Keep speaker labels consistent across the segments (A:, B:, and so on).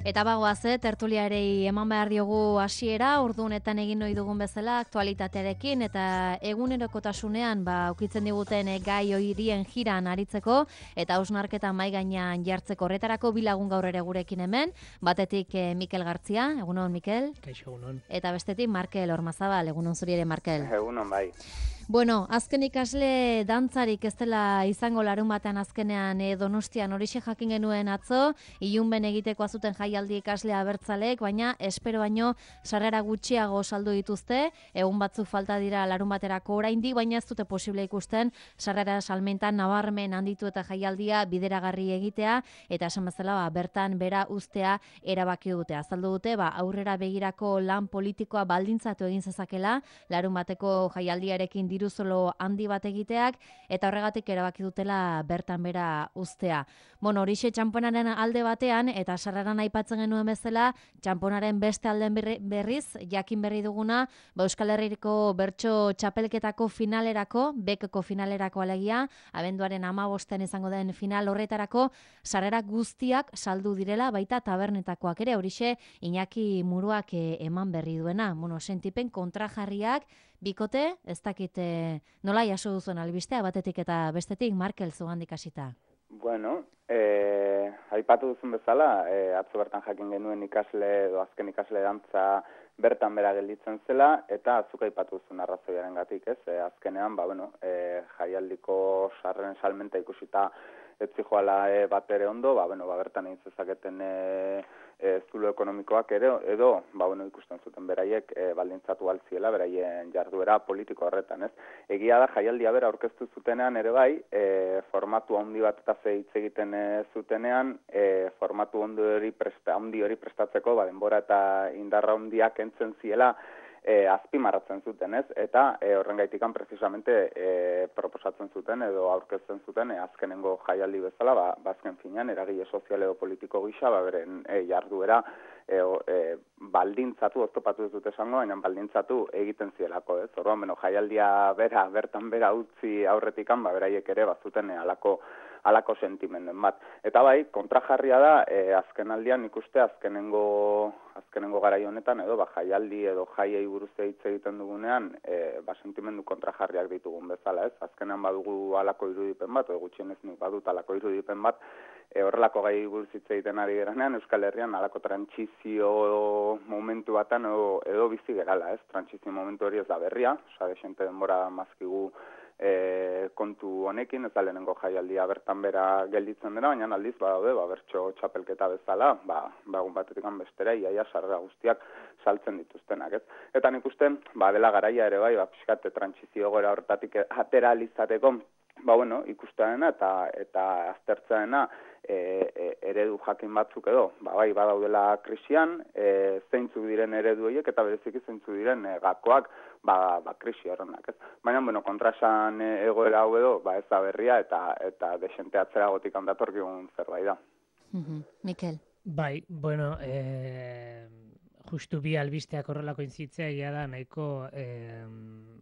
A: Eta bagoaz, tertuliarei eman behar diogu hasiera, ordu honetan egin ohi dugun bezala aktualitatearekin eta egunerokotasunean ukitzen diguten gai horien jiran aritzeko eta hausnarketa mahai gainean jartzeko horretarako bi lagun gaur ere gurekin hemen, batetik Mikel Gartzia, egunon Mikel.
B: Kaixo, egunon.
A: Eta bestetik Markel Ormazabal, egunon zuri ere Markel.
C: Egunon bai.
A: Bueno, azken ikasle dantzarik ez dela izango larun batean azkenean Donostian horixe jakin genuen atzo, ilunben egiteko azuten jaialdi ikasle abertzalek, baina espero baino sarrera gutxiago saldu dituzte, egun batzuk falta dira larun baterako oraindik, baina ez dute posible ikusten sarrera salmentan nabarmen handitu eta jaialdia bideragarri egitea, eta esan bezala bertan bera uztea erabaki dute. Azaldu dute aurrera begirako lan politikoa baldintzatu egin zezakela, larun bateko jaialdiarekin diruzolo handi bat egiteak, eta horregatik erabaki dutela bertan bera uztea. Bueno, horixe txamponaren alde batean, eta sarreran aipatzen genuen bezala, txamponaren beste alden berriz, jakin berri duguna, Euskal Herriko bertso txapelketako finalerako, bekeko finalerako alegia, abenduaren 15 izango den final horretarako, sarrera guztiak saldu direla, baita tabernetakoak ere, horixe Iñaki Muruak eman berri duena. Bueno, sentipen kontrajarriak, bikote, ez dakit nola jaso duzuen albistea, batetik eta bestetik, Markel zugandik hasita.
C: Bueno, aipatu duzun bezala, atzo bertan jakin genuen ikasle edo azken ikasle dantza bertan bera gelditzen zela, eta azuk aipatu duzun arrazoiaren gatik, ez? Azkenean, jaialdiko sarreren salmenta ikusita etzi joala bat ere ondo, bertan egin zezaketen zulo ekonomikoak edo ikusten zuten beraiek baldintzatu altziela, beraien jarduera politiko horretan, ez? Egia da, jaialdia bera aurkeztu zutenean ere bai, formatu handi bat eta hitz egiten zutenean, formatu handi hori prestatzeko, denbora eta indarra handiak entzen ziela, azpimarratzen zuten, ez? Eta horrengaitikan precisamente proposatzen zuten edo aurkezten zuten azkenengo jaialdi bezala, azken finean eragile sozial edo politiko gisa, beren jarduera baldintzatu, oztopatu ez dute esango, baina baldintzatu egiten zielako, ez? Orduan, jaialdia bertan bera utzi aurretikan, beraiek ere bazuten halako sentimenden bat. Eta bai, kontrajarria da, azken aldian ikuste azkenengo garai honetan, edo jaialdi edo jaiei buruz hitz egiten dugunean, sentimendu kontrajarriak ditugun bezala, ez? Azkenean badugu halako irudipen bat, edo gutxienez nik badut halako irudipen bat, horrelako gai buruz hitz egiten ari geranean, Euskal Herrian halako trantsizio momentu batan edo bizi gerala, ez? Trantsizio momentu hori ez da berria, desente denbora mazkigu kontu honekin, ez da lehenengo jaialdia bertan bera gelditzen dena, baina aldiz badaude, bertso txapelketa bezala, egun batetik bestera, iaia sarrera guztiak saltzen dituztenak, ez? Eta nik uste, dela garaia ere bai, pixkate trantsizio gora horretatik atera alizateko, ikustearena eta aztertzearena eredu jakin batzuk edo, badaudela krisian, zeintzuk diren eredu horiek eta bereziki zeintzuk diren gakoak krisi horrenak, ez? Baina, kontrasan egoera hau edo, ez da berria eta desente atzeragotik handatorkigun zerbait da.
A: Mikel.
B: Bai, justu bi albisteak horrelako intzitzea egia da nahiko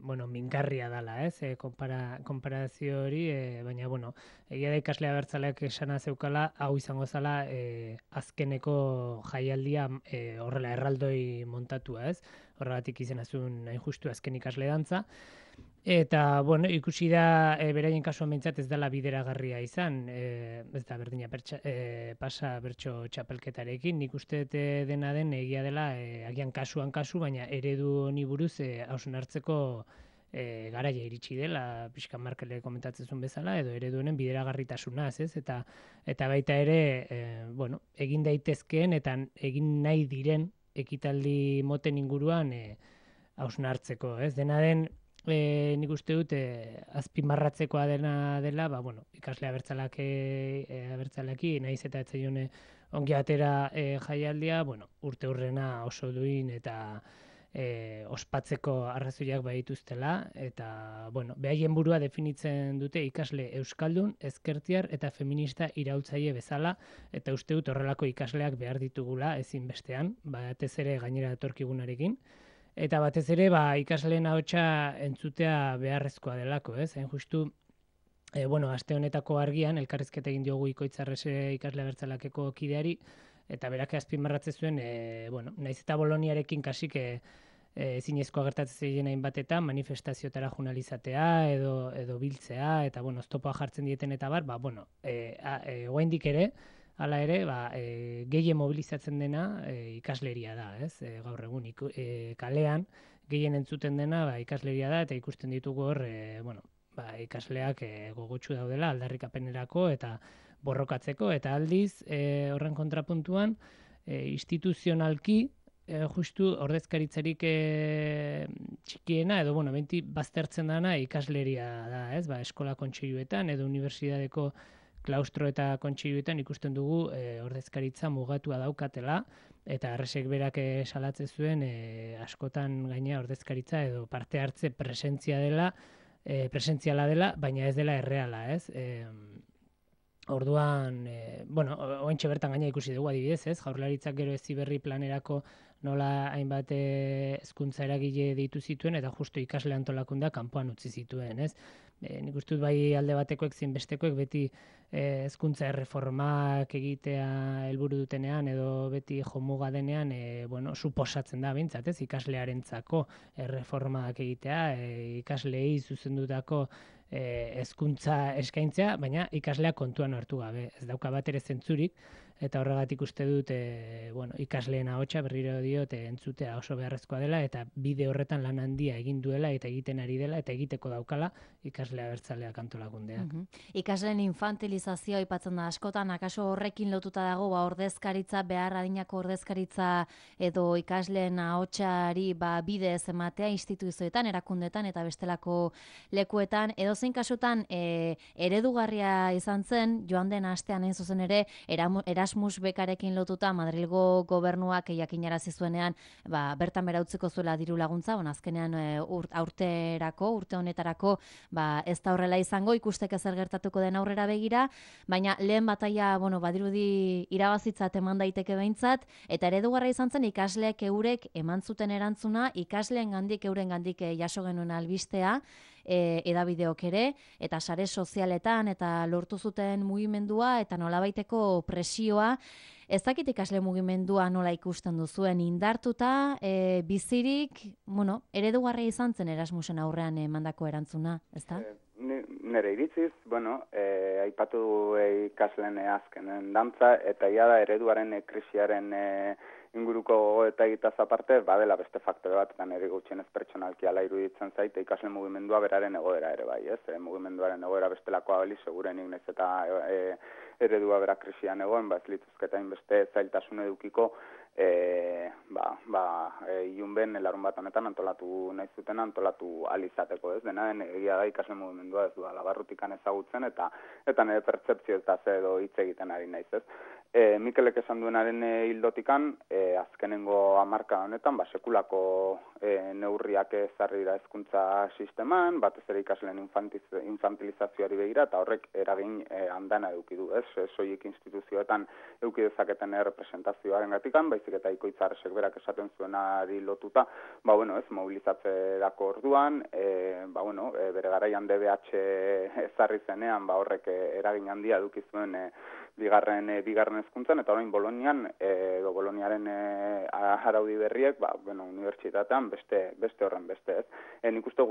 B: mingarria dela, ez? Konparazio hori, baina, egia da ikasle abertzaleak esana zeukala, hau izango zala azkeneko jaialdia horrela erraldoi montatua, ez? Horregatik izena zuen hain justu azken ikasle dantza. Eta, ikusi da beraien kasuan behintzat ez dela bideragarria izan, ez da berdina pasa bertso txapelketarekin, nik uste dena den egia dela agian kasuan kasu, baina eredu honi buruz hausnartzeko garaia iritsi dela, pixka Markele komentatzen zuen bezala, edo eredu honen bideragarritasunaz, ez? Eta baita ere, egin daitezkeen eta egin nahi diren ekitaldi moten inguruan hausnartzeko, ez? Dena den, nik uste dut azpimarratzekoa dela, ikasle abertzalaki, nahiz eta etzaione ongi atera jaialdia, urte hurrena oso duin eta ospatzeko arrazoiak badituztela, eta, behaien burua definitzen dute ikasle euskaldun, ezkertiar eta feminista iraultzaile bezala, eta uste dut horrelako ikasleak behar ditugula ezinbestean, batez ere gainera etorkigunarekin. Eta batez ere, ikasleen ahotsa entzutea beharrezkoa delako, ez? Hain justu, aste honetako argian, elkarrizketa egin diogu Ikoitzarrese ikasle abertzalakeko kideari, eta berak azpimarratzen zuen, bueno, naiz eta Boloniarekin kasik zinezkoa gertatzen ziren hainbatetan manifestaziotara journalizatea edo biltzea, eta bueno, oztopoa jartzen dieten eta bar, ba, bueno, oraindik ere, hala ere, ba, gehien mobilizatzen dena ikasleria da, ez? Gaur egun kalean gehien entzuten dena ba, ikasleria da, eta ikusten ditugu hor, bueno, ba, ikasleak gogotsu daudela aldarrikapenerako eta borrokatzeko, eta aldiz horren kontrapuntuan instituzionalki justu ordezkaritzarik txikiena, edo bueno, benti baztertzen dana ikasleria da, ez? Ba, eskola kontseiluetan edo unibertsitateko klaustro eta kontseiluetan ikusten dugu ordezkaritza mugatua daukatela, eta Arresek berak salatzen zuen askotan gaina ordezkaritza edo parte hartze presentziala dela, baina ez dela erreala, ez? Orduan, bueno, oraintxe bertan gaina ikusi dugu adibidez, ez? Jaurlaritzak gero Heziberri planerako nola hainbat hezkuntza eragile deitu zituen, eta justu ikasle antolakundea kanpoan utzi zituen, ez? Nik uste dut bai alde batekoek zein bestekoek beti hezkuntza erreformak egitea helburu dutenean edo beti jomuga denean, bueno, suposatzen da behintzat, ez? Ikaslearentzako erreformak egitea, ikasleei zuzendutako hezkuntza eskaintzea, baina ikasleak kontuan hartu gabe. Ez dauka bat ere zentzurik, eta horregatik uste dut bueno, ikasleen ahotsa berriro diot entzutea oso beharrezkoa dela, eta bide horretan lan handia egin duela eta egiten ari dela eta egiteko daukala ikasle abertzaleak antolakundeak.
A: Ikasleen infantilizazioa aipatzen da askotan, akaso horrekin lotuta dago ba, ordezkaritza, behar adinako ordezkaritza edo ikasleen ahotsari ba, bide ez ematea instituzioetan, erakundetan eta bestelako lekuetan, edo zein kasutan eredugarria izan zen, joan den astean hain zuzen ere, Erasmus bekarekin lotuta Madrilgo gobernuak jakinarazi zuenean ba, bertan bera utziko zuela diru laguntza, azkenean urte honetarako ba, ez da horrela izango, ikusteke zer gertatuko den aurrera begira, baina lehen bataia, bueno, badirudi irabazitzat eman daiteke behintzat, eta eredugarra izan zen ikasleek eurek eman zuten erantzuna, ikasleen gandik euren gandik jaso genuen albistea, edabideok ere, eta sare sozialetan, eta lortu zuten mugimendua, eta nolabaiteko presioa. Ez dakit ikasle mugimendua nola ikusten duzuen, indartuta, bizirik, bueno, eredugarria izan zen Erasmusen aurrean emandako erantzuna, ez da?
C: Nere iritziz, bueno, aipatu ikasleen azkenen dantza, eta ia da ereduaren krisiaren inguruko eta egitaz aparte, badela beste faktore bat, eta nire gutxienez pertsonalki ala iruditzen zait, ikasle mugimendua beraren egoera ere bai, ez? Mugimenduaren egoera bestelakoa bali, segurenik naiz eta eredua bera krisian egoen, ez lituzketa inbeste zailtasun edukiko, ilunben larun bat honetan antolatu nahi zuten antolatu alizateko, ez? Dena den egia da ikasle mugimendua ez duela barrutikan ezagutzen, eta nire pertzepzio eta edo hitz egiten ari naiz, ez? Mikelek esan duenaren hildotikan, azkenengo hamarka honetan, sekulako neurriak ezarri dira hezkuntza sisteman, batez ere ikasleen infantilizazioari begira, eta horrek eragin handana eduki du, ez? Soilik instituzioetan eduki dezaketen representazioaren gatikan, baizik eta Ikoitz Arresek berak esaten zuenari lotuta, ez, mobilizatzerako orduan, bere garaian DBH ezarri zenean, horrek eragin handia eduki zuen bigarren hezkuntzan, eta orain Bolonian, Boloniaren araudi berriek, unibertsitatean beste horren beste, ez. Nik uste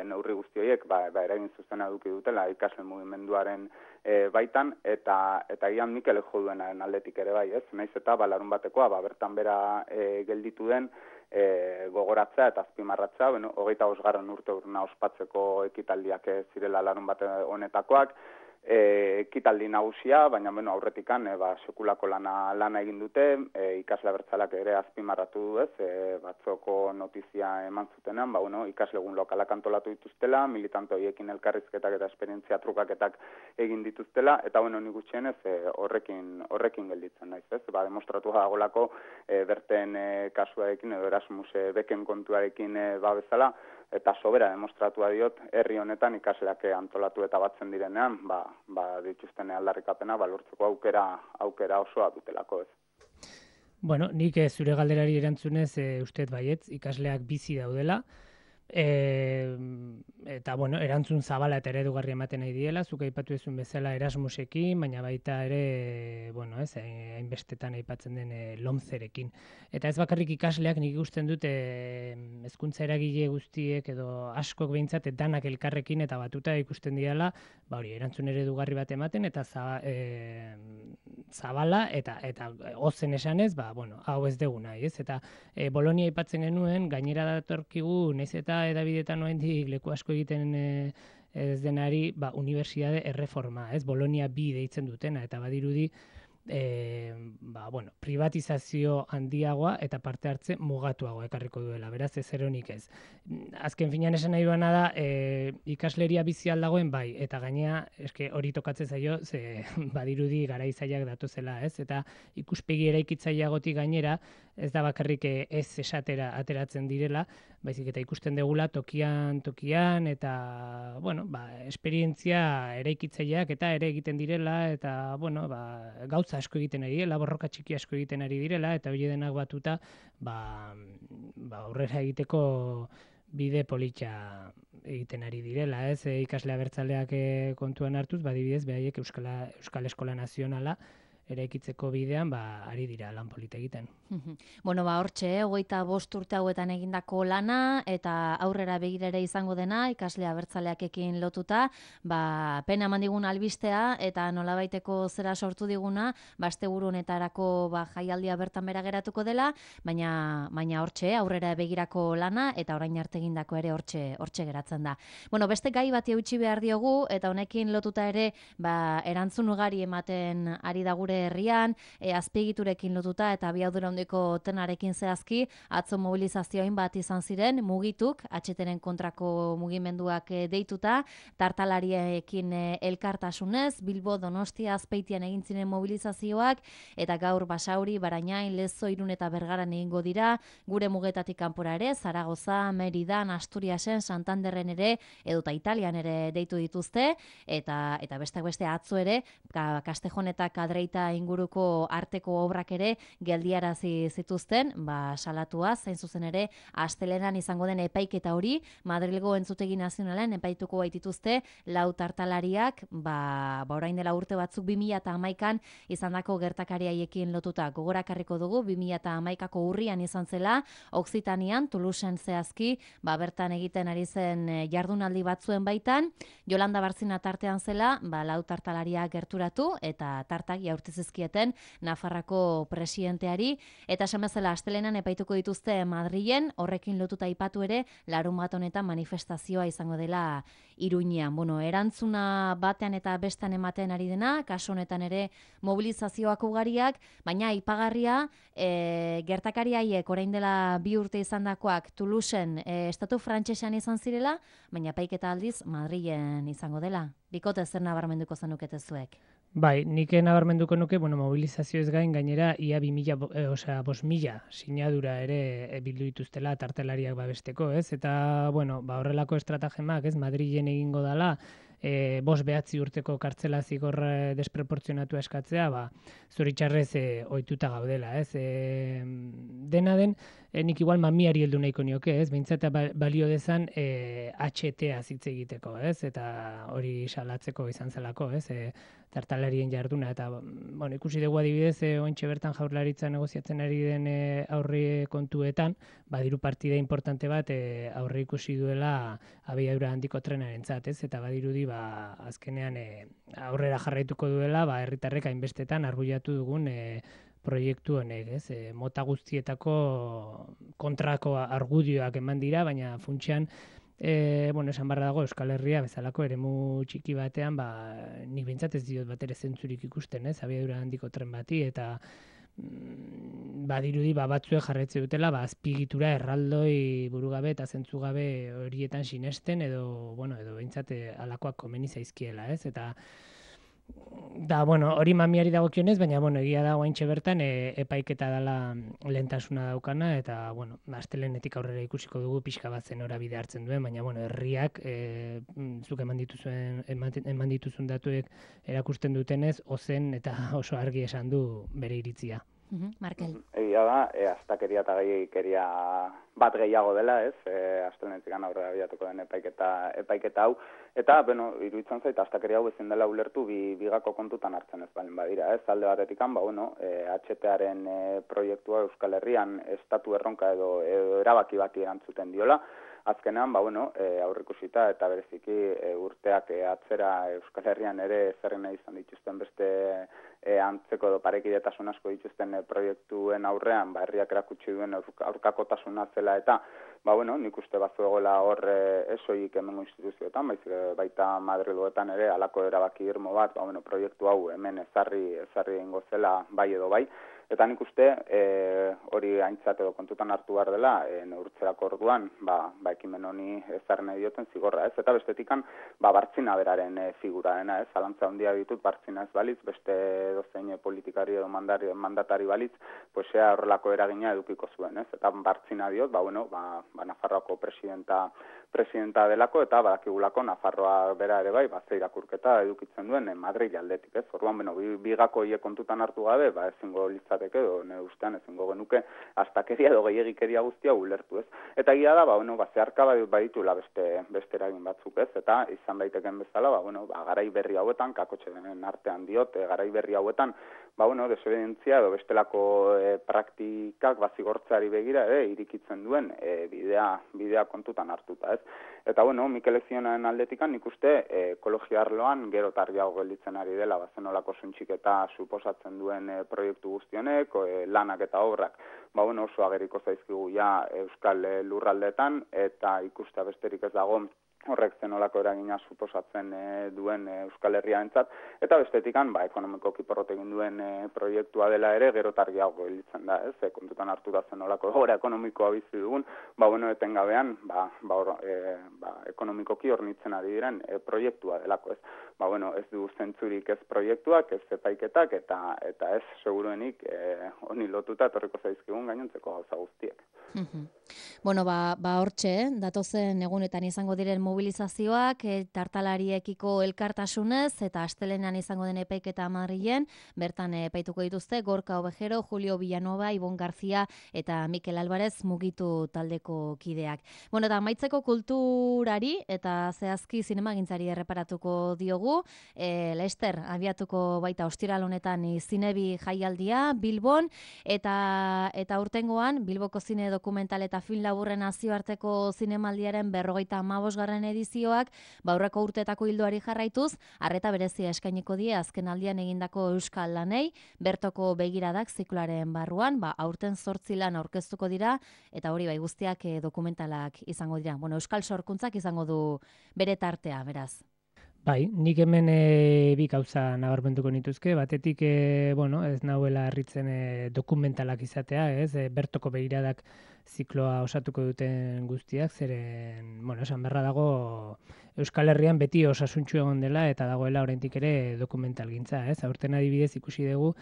C: neurri guzti horiek, eragin zuzena eduki dutela ikasle mugimenduaren baitan, eta gian Mikel jo duenaren aldetik ere bai, ez. Naiz eta larun batekoa, bertan bera gelditu den, gogoratzea eta azpimarratzea, 25. urte urna ospatzeko ekitaldiak zirela larun bate honetakoak, ekitaldi nagusia, baina aurretikan sekulako lana egin dute, ikasle abertzaleak ere azpimarratu du, ez, batzoko notizia eman zutenean, ikasle egun lokalak antolatu dituztela, militante horiekin elkarrizketak eta esperientzia trukaketak egin dituztela, eta nik gutxienez horrekin gelditzen naiz, ez, demostratu dagoelako berten kasuarekin edo Erasmus beken kontuarekin bezala, eta sobera demostratua diot herri honetan ikasleak antolatu eta batzen direnean, dituzten aldarrikapena lortzeko aukera osoa dutelako, ez.
B: Bueno, nik zure galderari erantzunez uste baietz ikasleak bizi daudela, Eta, bueno, erantzun zabala eta eredugarri ematen nahi diela, zuk aipatu ezun bezala Erasmusekin, baina baita ere, bueno, ez, hainbestetan aipatzen den LOMCerekin. Eta ez bakarrik ikasleak nik ikusten dute hezkuntza eragile guztiek edo askok behintzat danak elkarrekin eta batuta ikusten diala, ba hori, erantzun eredugarri bat ematen eta zabala eta ozen esanez, ba, bueno, hau ez dugu nahi, ez? Eta Bolonia aipatzen genuen, gainera datorkigu, naiz eta edabidetan oraindik leku asko egiten ez denari, ba, unibertsitate erreforma, ez? Bolonia bi deitzen dutena, eta badirudi ba, bueno, privatizazio handiagoa eta parte hartze mugatuagoa ekarriko duela, beraz ez eronik ez. Azken finean esan nahi duena da, ikasleria bizi aldagoen bai, eta gainea, eske hori tokatzen zaio, ze badirudi garaizaiak datozela, ez? Eta ikuspegi eraikitzaileagotik gainera, ez da bakarrik ez esatera ateratzen direla, baizik eta ikusten degula tokian eta, bueno, ba, esperientzia eraikitzaileak eta ere egiten direla, eta, bueno, ba, gauza asko egiten ari direla, borroka txiki asko egiten ari direla, eta hori denak batuta, ba, aurrera egiteko bide politxa egiten ari direla, ez? Ikasle abertzaleak kontuan hartuz, badibidez, behaiek Euskal Eskola Nazionala eraikitzeko bidean, ba, ari dira lan polita egiten.
A: Bueno, ba, hortxe, 25 urte hauetan egindako lana, eta aurrera begira ere izango dena, ikasle abertzaleakekin lotuta, ba, pena eman digun albistea, eta nolabaiteko zera sortu diguna, ba, asteburu honetarako ba, jaialdia bertan bera geratuko dela, baina hortxe, aurrera begirako lana, eta orain arte egindako ere hortxe geratzen da. Bueno, beste gai bati eutxi behar diogu, eta honekin lotuta ere, ba, erantzun ugari ematen ari da gure herrian, azpiegiturekin lotuta eta abiadura handiko trenarekin zehazki, atzo mobilizazioin bat izan ziren, mugituk, HTren kontrako mugimenduak deituta, tartalariekin elkartasunez, Bilbo, Donostia, Azpeitian egin ziren mobilizazioak, eta gaur Basauri, Barainain, Lezo, Irun eta Bergaran egingo dira, gure mugetatik kanpora ere, Zaragoza, Meridan, Asturiasen, Santanderren ere, edota Italian ere deitu dituzte, eta besteak beste atzo ere, Castejon eta Kadreita inguruko arteko obrak ere geldiarazi zituzten, ba, salatua, zain zuzen ere, astelenan izango den epaiketa hori, Madrilgo Entzutegi Nazionalen epaituko baitituzte, 4 tartalariak, ba, orain dela urte batzuk 2011an izandako gertakariaiekin lotuta gogorakarriko dugu, 2011ko urrian izan zela, Oksitanian, Toulouseen zehazki, ba, bertan egiten ari zen jardunaldi batzuen baitan, Jolanda Barzina tartean zela, ba, 4 tartalariak gerturatu, eta tartak jaurti zizkieten Nafarrako presidenteari, eta esan bezala astelenan epaituko dituzte Madrilen, horrekin lotuta aipatu ere, larunbat honetan manifestazioa izango dela Iruñean. Bueno, erantzuna batean eta bestean ematen ari dena, kasu honetan ere mobilizazioak ugariak, baina aipagarria gertakariaiek orain dela 2 urte izandakoak Toulouseen estatu frantsesean izan zirela, baina epaiketa aldiz Madrilen izango dela. Bikote zer nabarmenduko zenukete zuek?
B: Bai, nik nabarmenduko nuke, bueno, mobilizazio ez gainera ia 5.000 sinadura ere bildu dituztela tartelariak babesteko, ez? Eta, bueno, ba, horrelako estratagemak, ez, Madrilen egingo dala, 5-9 urteko kartzela zigor desproportzionatua eskatzea, ba, zoritxarrez ohituta gaudela, ez? Dena den, nik igual mamiari heldu nahiko nioke, ez? Behintzat balio dezan HTA hitz egiteko, ez? Eta hori salatzeko izan zelako, ez? Tartalarien jarduna, eta bueno, ikusi dugu adibidez, oraintxe bertan Jaurlaritza negoziatzen ari den aurre kontuetan, badiru partida importante bat aurre ikusi duela abiadura handiko trenarentzat, ez? Eta badirudi ba azkenean aurrera jarraituko duela, ba herritarrek hainbestetan arbuiatu dugun proiektu honek, ez? Mota guztietako kontrako argudioak eman dira, baina funtsean bueno, esan barra dago Euskal Herria bezalako eremu txiki batean, ba, nik behintzat ez diot bat ere zentzurik ikusten, ez? Abiadura handiko tren bati, eta badirudi batzuek jarretze dutela, azpigitura erraldoi burugabe eta zentzugabe horietan sinesten, edo behintzat alakoak komeni zaizkiela, ez? Eta bueno, hori mamiari dagokionez, baina egia da oraintxe bertan epaiketa dela lehentasuna daukana, eta astelehenetik aurrera ikusiko dugu pixka bat zen norabide hartzen duen, baina herriak zuk eman dituzun datuek erakusten dutenez, ozen eta oso argi esan du bere iritzia.
A: Markel.
C: Egia da, astakeria eta gehiagikeria bat gehiago dela, ez? Astelenetik aurrera abiatuko den epaiketa hau. Eta, iruditzen zait, astakeria hau ezin dela ulertu bigako kontutan hartzen ez baldin badira, ez? Alde batetikan, HTaren proiektua Euskal Herrian estatu erronka edo erabaki bati erantzuten diola. Azkenean, aurrikusita eta bereziki urteak atzera Euskal Herrian ere zerrena izan dituzten beste antzeko edo parekidetasun asko dituzten proiektuen aurrean, herriak erakutsi duen aurkakotasuna zela eta, nik uste bazuegola hor esoik hemengo instituzioetan, baita Madriletan ere alako erabaki irmo bat, proiektu hau hemen ezarri egingo zela bai edo bai. Eta nik uste hori aintzat edo kontutan hartu behar dela, neurtzerako orduan, ekimen honi ezarri nahi dioten zigorra, ez? Eta bestetikan, Bartzina beraren figura dena, ez? Zalantza handia ditut Bartzina ez balitz, beste dozein politikari edo mandatari balitz, horrelako eragina edukiko zuen, ez? Eta Bartzina diot, Nafarroako presidenta delako, eta badakigulako Nafarroa bera ere bai, ze irakurketa edukitzen duen Madrid aldetik, ez? Orduan, bigako hile kontutan hartu gabe, ezingo litzateke, edo nire ustean ezingo genuke astakeria edo gehiagikeria guztia ulertu, ez? Eta egia da, zeharka baditula beste eragin batzuk, ez? Eta izan daiteken bezala, garai berri hauetan, kakotxeren artean diot, garai berri hauetan, desobedientzia edo bestelako praktikak zigortzeari begira ere irikitzen duen bidea kontutan hartuta, ez? Eta, Mikel Ezionaren aldetikan nik uste ekologia arloan gero targiago gelditzen ari dela, zenolako suntxiketa suposatzen duen proiektu guztionek, lanak eta obrak, oso ageriko zaizkigu ja Euskal Lurraldeetan, eta ikustea besterik ez dago horrek zenolako eragina suposatzen duen Euskal Herriarentzat, eta bestetikan, ekonomikoki porrot egin duen proiektua dela ere, gero targiago gelditzen da, ez? Kontutan hartu da zenolako egoera ekonomikoa bizi dugun, etengabean, ekonomikoki hornitzen ari diren proiektua delako, ez? Ez du zentzurik ez proiektuak, ez epaiketak, eta ez seguruenik honi lotuta etorriko zaizkigun gainontzeko gauza guztiek.
A: Hortxe, datozen egunetan izango diren mobilizazioak, tartalariekiko elkartasunez, eta astelenean izango den epaiketa Madrilen, bertan epaituko dituzte Gorka Ovejero, Julio Villanova, Ibon García eta Mikel Álvarez mugitu taldeko kideak. Eta amaitzeko kulturari eta zehazki zinemagintzari erreparatuko diogu, Lester abiatuko baita ostiral honetan zinebi jaialdia Bilbon, eta urtengoan Bilboko zine dokumental eta film laburren nazioarteko zinemaldiaren 55. edizioak, aurreko urteetako ildoari jarraituz, arreta berezia eskainiko die azken aldian egindako euskal lanei, bertoko begiradak zikloaren barruan, aurten 8 lan aurkeztuko dira, eta hori guztiak dokumentalak izango dira. Euskal sorkuntzak izango du bere tartea, beraz.
B: Nik hemen bi gauza nabarmenduko nituzke, batetik, ez nahuela harritzen dokumentalak izatea, ez, bertoko begiradak zikloa osatuko duten guztiak, zeren, esan berra dago Euskal Herrian beti osasuntxu egon dela, eta dagoela oraindik ere dokumentalgintza, ez, aurten adibidez ikusi dugu,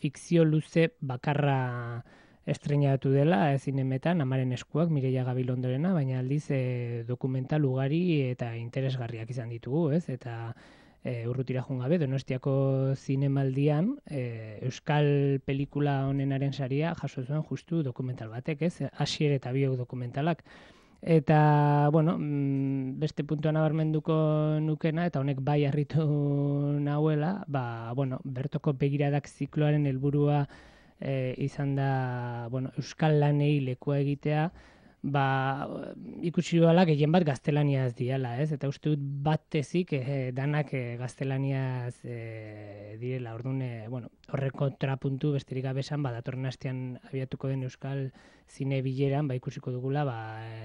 B: fikzio luze bakarra estreinatu dela zinemetan, Amaren eskuak, Mireia Gabilondorena, baina aldiz dokumental ugari eta interesgarriak izan ditugu, ez? Eta urrutira joan gabe, Donostiako zinemaldian euskal pelikula honenaren saria jaso zuen justu dokumental batek, ez? Asier eta Biok dokumentalak. Eta, beste puntua nabarmenduko nukena, eta honek bai harritu nahuela, bertoko begiradak zikloaren helburua izan da, euskal lanei lekua egitea, ikusi duela gehien bat gaztelaniaz diala, ez? Eta uste dut batezik danak gaztelaniaz direla, orduan, horrek kontrapuntu besterik gabe esan, datorren astean abiatuko den euskal zine bileran, ikusiko dugula,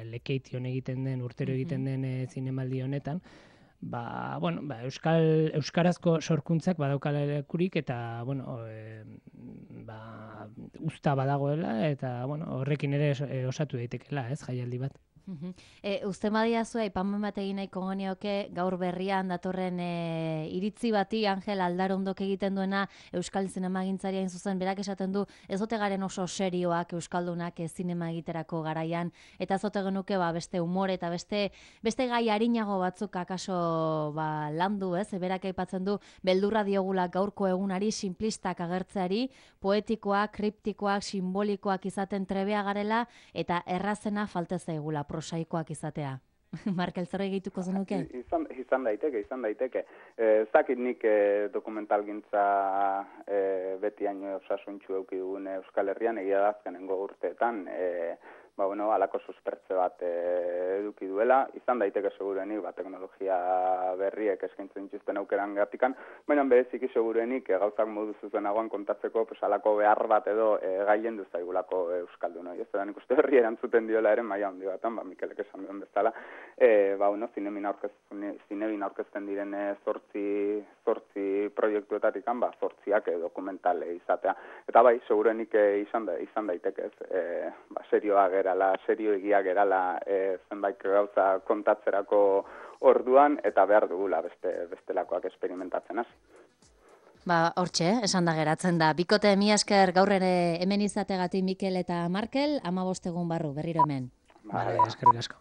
B: lekeition egiten den, urtero egiten den zinemaldi honetan, euskarazko sorkuntzak badaukala lekurik eta usta badagoela eta horrekin ere osatu daitekela, ez, jaialdi bat.
A: Uste madiazu, aipamen bat egin nahiko genioke gaur berrian datorren iritzi bati Angel Aldarondok egiten duena Euskal Zinemagintzari hain zuzen, berak esaten du ez ote garen oso serioak Euskaldunak zinema egiterako garaian, eta ez ote genuke beste umore eta beste gai arinago batzuk akaso landu, ez? Berak aipatzen du beldurra diogula gaurko egunari simplistak agertzeari, poetikoak, kriptikoak, simbolikoak izaten trebea garela eta errazena falta zaigula prosaikoak izatea. Markel, zer egituko zenuke?
C: Izan daiteke. Ez dakit nik dokumentalgintza beti haino osasuntxu eduki dugun Euskal Herrian, egia da azkenengo urteetan, alako suspertze bat eduki duela, izan daiteke segurenik, teknologia berriek eskaintzen dituzten aukeran gatikan, baina bereziki segurenik gauzak modu zuzenagoan kontatzeko alako behar bat edo gaien duzaigulako Euskaldun. Ez da nik uste herri erantzuten diola ere maila handi batan, Mikelek esan duen bezala, zinemin aurkezten diren zortzi proiektuetatik, zortziak dokumentale izatea. Eta segurenik izan daiteke ez, serioa gerala, serioegia gerala zenbait gauza kontatzerako orduan, eta behar dugula bestelakoak experimentatzen hasi.
A: Hortxe, esan da geratzen da. Bikote, mila esker gaur ere hemen izategatik Mikel eta Markel, 15 egun barru, berriro hemen.
B: Eskerrik asko.